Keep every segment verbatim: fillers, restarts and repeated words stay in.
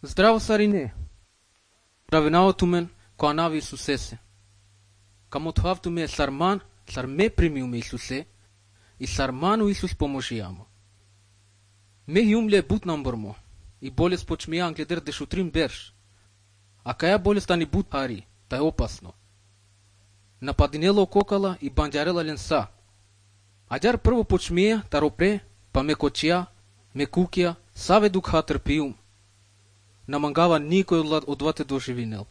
Здраво, Сарине! Равенавато мен, коанави Исусесе. Камотхавто ме сарман, сарме примил ме Исусе, и сарману Исус поможи ама. Ме юмле бут намбърмо, и болест почмия англедер дешутрим берш. А кая болест ани бут хари, та е опасно. Нападинело кокала и бандярела ленса. Адяр първо почмия, таропре, па ме кочия, ме кукия, саве духа търпиум. Намангава никой от двата доживинел.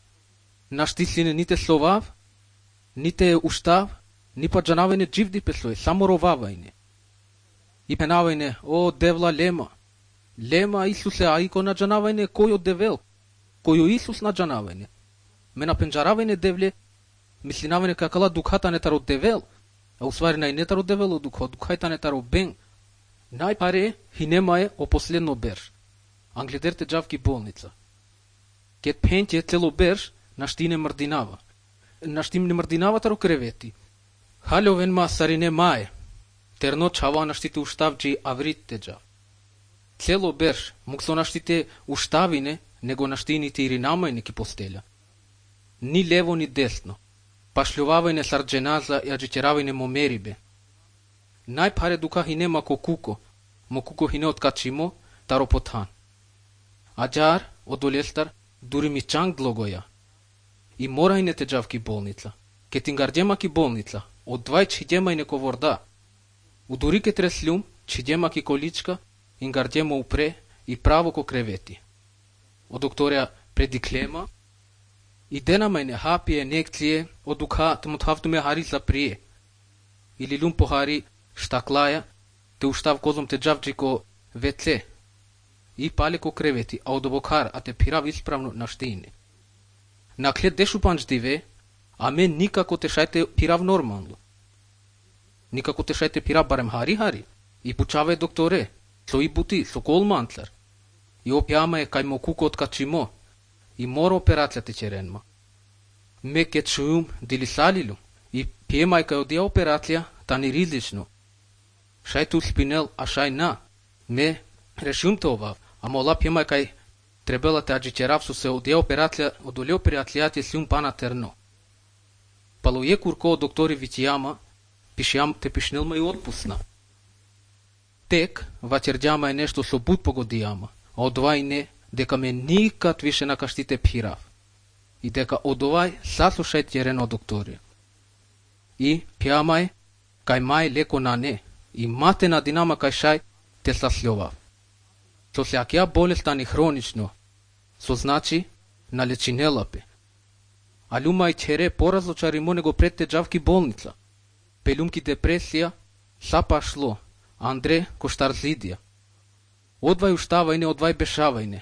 Наштислине ните словав, ните уштав, ни па джанавайне дживди песлой, само ровавайне. И пенавайне, о, девла лема. Лема Исусе, а ико на джанавайне, кой от девел? Кой Исус на джанавайне? Ме на пенджаравайне девле, мислинавайне какала духата не таро девел, а усвари най не таро девело духо, духайта не таро бен. Най-паре хинемае о последно берж. Англедерте джавки болница. Кет пентje цело берж, нашти не мърдинава. Нашти не мърдинава таро кревети. Халевен ма Сарине мае. Терно чава наштите уштавджи авритте джав. Цело берж, муксо наштите уштавине, него наштините иринамайне ки постеля. Ни лево, ни десно. Пашлювавайне сардженаза и аджитеравайне момерибе. Най-паре дука хине мако куко, мо куко хине откачимо, таро потхан. Аджар, одолестар, дури ми чанг длогоя. И морайне те джавки болница. Кетингардема ки болница. От двай чидема и неко ворда. Удори ке треслюм, чидема ки количка, ингардема упре и право ко кревети. О докторя предиклема, и дена майне хапие некция, о духа тмутхавто ме хари заприе. Или люм похари штаклая, те уштав козом те джавджи ко веце. И пале ко кревети, а одобокар, а те пирав исправно на штине. Наклед дешу панчдиве, а мен никако те шайте пирав нормално. Никако те шайте пирав барем хари-хари. И пучаве докторе, со и бути, со колмантлар. И опјама е кај мо куко откачимо. И мора операцията черенма. Ме ке чуюм дилисалилу. И пиемај кај одија операција, тани ризлично. Шај ту спинел, а шај на. Ме решум това, а мола пиемај кај trebala te agiceraf su se odea operația, odolea operațiate si un pana terno. Paloie curco doctori viciama, pișeam te pișnel mai отпусна. Тек вачерджама е нещо со бут погодиама, а одвај не, дека ме никад више на каштите пирав. И дека одвај саслушај терено доктори. И пиамај, кај мај леко на не, и мате на динама кај шај те саслјовав. Со сеакија болест ани хронично, со значи на лечинелапе. А люма и чере поразочаримо него пред те джавки болница. Пелюмки депресија, сапа шло, Андре коштарзидија. Одвај уштавајне, одвај бешавајне.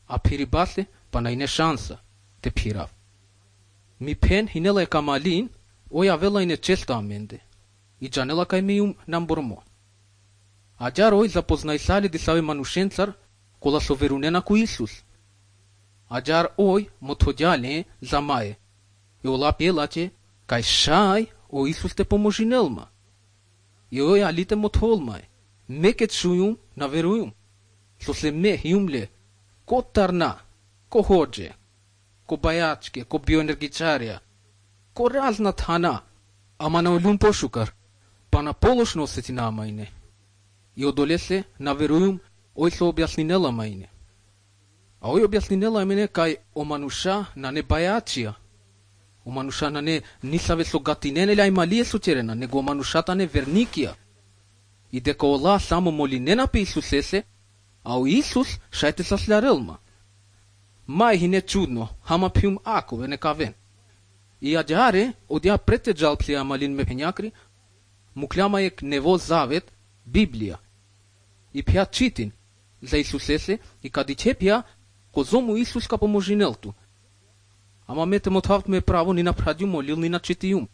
А пирибасе, па најне шанса, те пирав. Ми пен хинела е камалин, оја велајне често аменде. И джанела кај ми ум намбормо. Аджар ој запознај сали дисави манушенцар, кола со верунена ко Исус. Аджар ој мотходјале за мае. И ола пелаче, кај шај, о Исус те поможинелма. И ој алите мотхолмај. Мекет шујум, наверујум. Со се ме хиумле, ко тарна, ко ходже, ко бајачке, ко биоенергичарија, ко разна тана, ама на олюм пошукар, па на полошно осетина мајне. И одолесе, наверујум, ој се објаснинела мајне. А ој објаснинела мене кај омануша на не бајачија. Омануша на не нисаве со гатинене ля ималие сучерена, него оманушата не верникија. И дека ола само молинена пе Исусесе, а о Исус шајте саслярелма. Мај хине чудно, хама пиум акове некавен. И аджаре, одја прете джалплија малин ме пењакри, мукляма ек нево завет, Библија. И пја читин за Исусесе и кади че пја козому Исус ка поможинелту. Ама мете мотхавт ме право ни напрадју молил ни на читијум.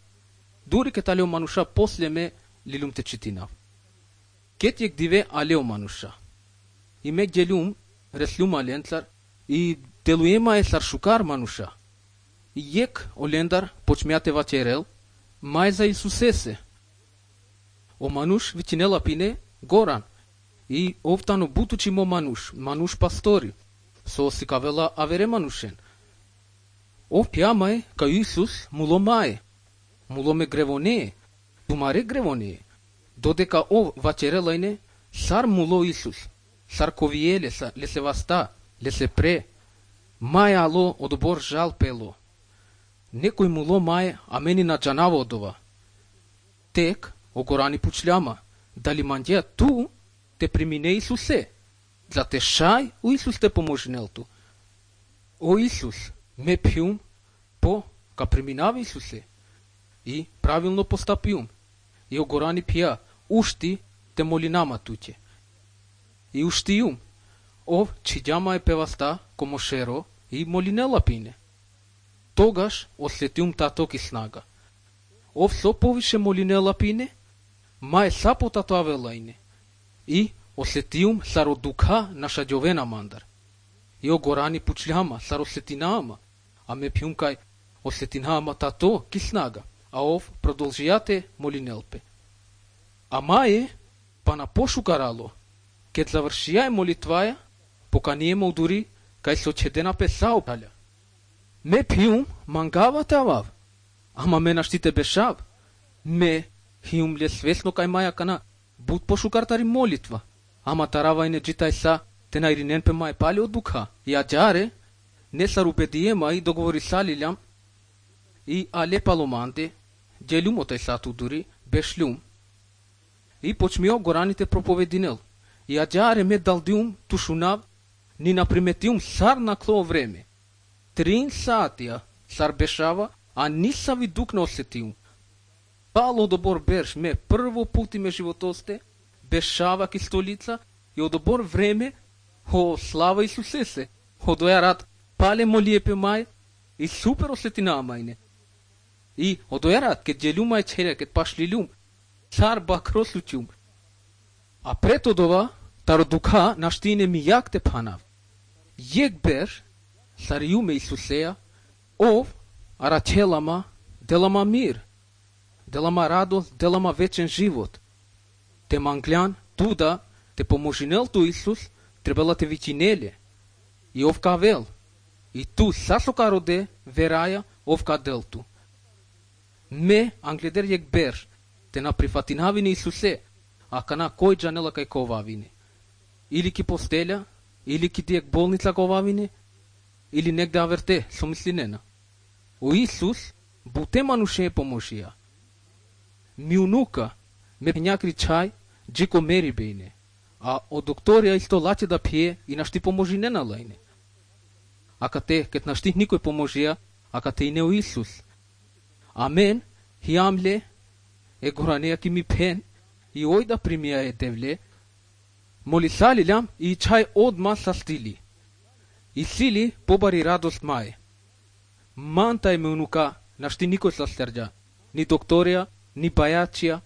Дури ке талео мануша после ме лилум те читинав. Кет јек диве алео мануша. И ме гелум реслюм аленцар и делуема е саршукар мануша. И јек олендар почмеате вачерел, мај за Исусесе. O manush vicinela pine goran. I ovtano butuci mo manush, manush pastori. So si ka vela avere manushen. O piamai ka Isus mulo mai. Mulo me grevone. Tumare grevone. Dodeka o vacerelaine sar mulo Isus. Sar coviele le se vasta, le se pre. Mai alo odobor jal pelo. Некој муло мае, а мени на джанава одова. Тек, огорани пучляма, дали мандија ту, те примине Исусе. За те шај, у Исус те поможнелту. О Исус, ме пиум, по, ка преминава Исусе. И правилно постапиум. И огорани пија, ушти те молинама туќе. И уштиум, ов чиѓама е певаста, комошеро, и молинела пине. Тогаш осетиум таток и снага. Ов со повише молинела пине, мај сапо татуавелајне. И осетиум саро духа наша ѓовена мандар. И огорани пучљама саро сетинаама, а ме пиум кај осетинаама тато ки снага, а ов продолжијате молинелпе. А маје, па на пошукарало, кет завршијај молитваја, поканиема удури кај со чедена песао паља. Ме пиум мангава тавав, ама ме наштите бешав. Ме хиум ле свесно кај маја кана буд пошукартари молитва, ама таравајне джитај са те најринен пе мај пали од духа. И аджаре, не са рупедиема и договори салилјам, и але паломанде, джелюм отај сату дури, бешлюм. И почмио гораните проповединел. И аджаре ме далдиум тушунав, ни наприметиум сар на кло време. Трин сатија сар бешава, а ниса ви дук не осетиум. Пало добор берш ме прво пути ме животосте, бешава ки столица, и одобор време, о слава Исусесе, о доја рад пале молиепе мај, и супер осетина мајне. И о доја рад ке джелюма е чере, ке пашлилюм, цар бакрослучум. А прето дова, таро дука наштине ми јак те панав. Јек берш, сариуме Исусеја, ов, арачелама, делама мир, делама радост, делама вечен живот. Те манглјан, туда, те поможинел ту Исус, требала те вичинеле. И ов кавел, и ту сасока роде, вераја, ов каделту. Ме, англедер јек берш, те на прифатинавине Исусе, а кана кој джанела кај ковавине. Или ки постелја, или ки дијек болница ковавине, или негде аверте, со мислинена. O Isus, буте мануше поможија. Миунука, ме пењакри чај, джико мери бејне, а о докторија исто лаче да пие и нашти поможине на лајне. Ака те, кет нашти никој поможија, ака те и не о Исус. Амен, хиамле, е горанеја ки ми пен, и ој да примија е девле, молисалилјам и чај одма са стили. И сили побари радост мај. Манта е меунука, нашти никој са стерджа, ни докторија, ни бајачија,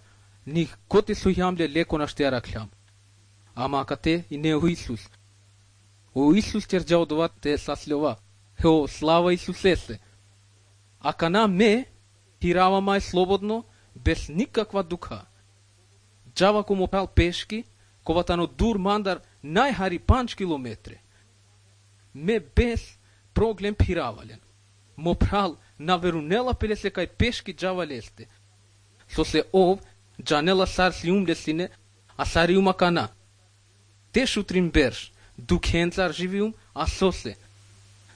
ни коте со јамле леко нашти араклјам. Ама ака те и не о Исус. О Исус терджа одова те саслјова, о слава Исусесе. Ака на ме, хирава мај слободно, без никаква духа. Джава комо пал пешки, коватано дур мандар најхари панч километре. Ме без проблем пиравален. Мо прал на верунела пелесе кај пешки джава лесте. Со се ов, джанела сар сиум лесине, а сариума кана. Те шутрин берш, дукенцар живиум, а со се.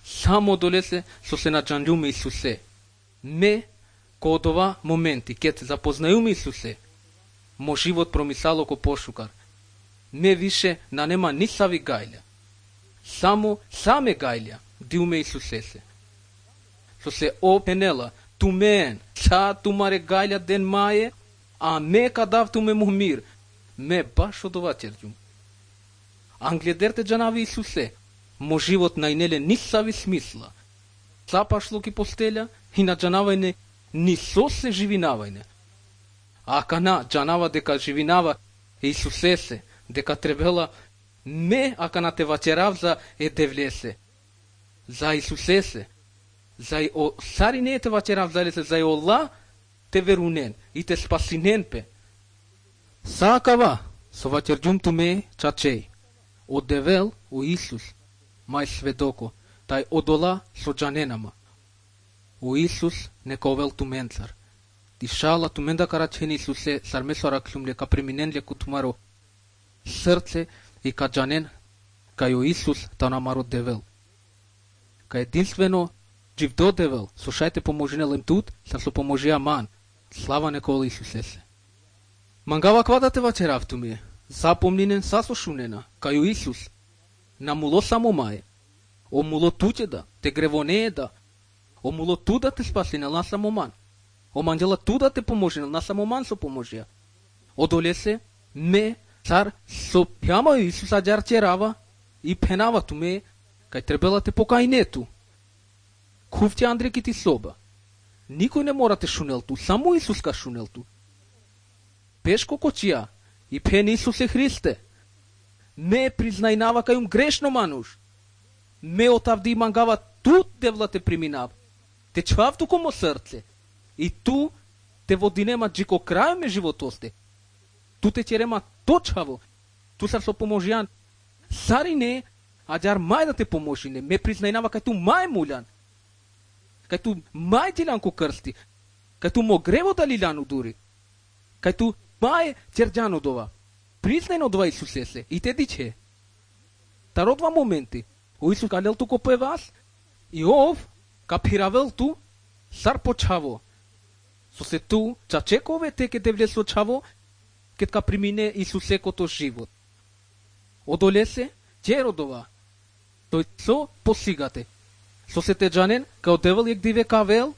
Само долесе со се на джанлюме Исусе. Ме, ко од ова моменти, кет запознајуме Исусе, мо живот промисало ко пошукар. Ме више на нема ни сави гајлја. Само саме гајлја, диуме Исусесе. Со се о пенела, тумен, ца тумаре гајлја ден маје, а ме кадав туме мумир, ме баш од ова черджум. Англедерте джанави Исусе, мо живот најнеле ни сави смисла. Ца пашло ки постелја и на джанавајне ни со се живинавајне. А кана джанава дека живинава Исусесе, дека требела ме ака на те вачерав за е девлесе. За Исусесе. За и о сари не те вачерав за лесе, за и Ола те верунен и те спасинен пе. Сакава, со вачерджум туме чачеј. Од девел о Исус. мај сведоко, тај одола со джаненама. O Iisus ne covel tu mențar. Dishala tu menda caraceni Iisuse s-ar mesoara clumle ca preminenle cu tumaro sărțe и ca джанен, ca o Iisus ta namaro devel. Ca единствено живдо девел, слушайте поможенелем тут, са со поможија ман. Слава некола Исусесе. Мангава квадате вачеравту ми, запомнинен сасо шунена, кај о Исус. Намуло само мај. О муло тучеда, те гревонееда. О муло туда те спасинел на самоман. О манджела туда те поможенел на самоман со поможија. О долесе ме цар со пјама Исус аджарчерава и пенава ту ме, кај требела те покајнету. Кувте Андре ки ти соба. Никој не мора те шунел ту, само Исус ка шунел ту. Пешко кочија и пен Исусе Христе. Ме признајнава кајум грешно мануш. Ме отавди мангава тут девла те приминав. Те чвав ту комо срце. И ту те водинема джико крај ме животосте. Ту те черема точаво. Ту сар со поможјан. Сари не, аджар мај да те поможине. Ме признајнава кај ту мај муљан. Кај ту мај тиланко крсти. Кај ту мо грево да лиляну дури. Кај ту мај черджано дова. Признајно дова Исусесе. И те диче. Тародва моменти. O Исус калел ту копе вас. И ов, капиравел ту, сар почаво. Со се ту, чачекове те ке те влесо чаво, кет ка примине Исусе кото живот. Одолесе, черодова. Тој со посигате. Со се те джанен, као девел јек диве кавел,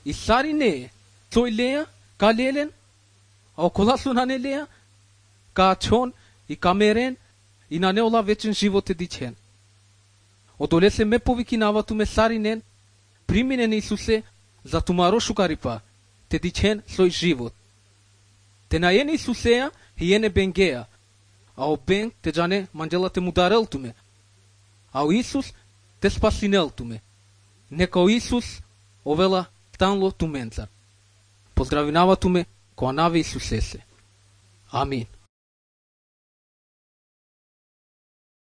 и сари не, сој леја, ка лелен, а окола су на не леја, ка чон и камерен, и на неола вечен живот е дичен. Одолесе ме повикинава ту ме саринен, приминен Исусе, за тумаро шукарипа, те дичен сој живот. Те најен Исусеја, и ене бенгеја, а о бенг те джане манджела те мударел ту ме, а о Исус те спасинел ту ме. Нека о Исус овела танло ту менцар. Поздравинава ту ме, коа наве Исусесе. Амин.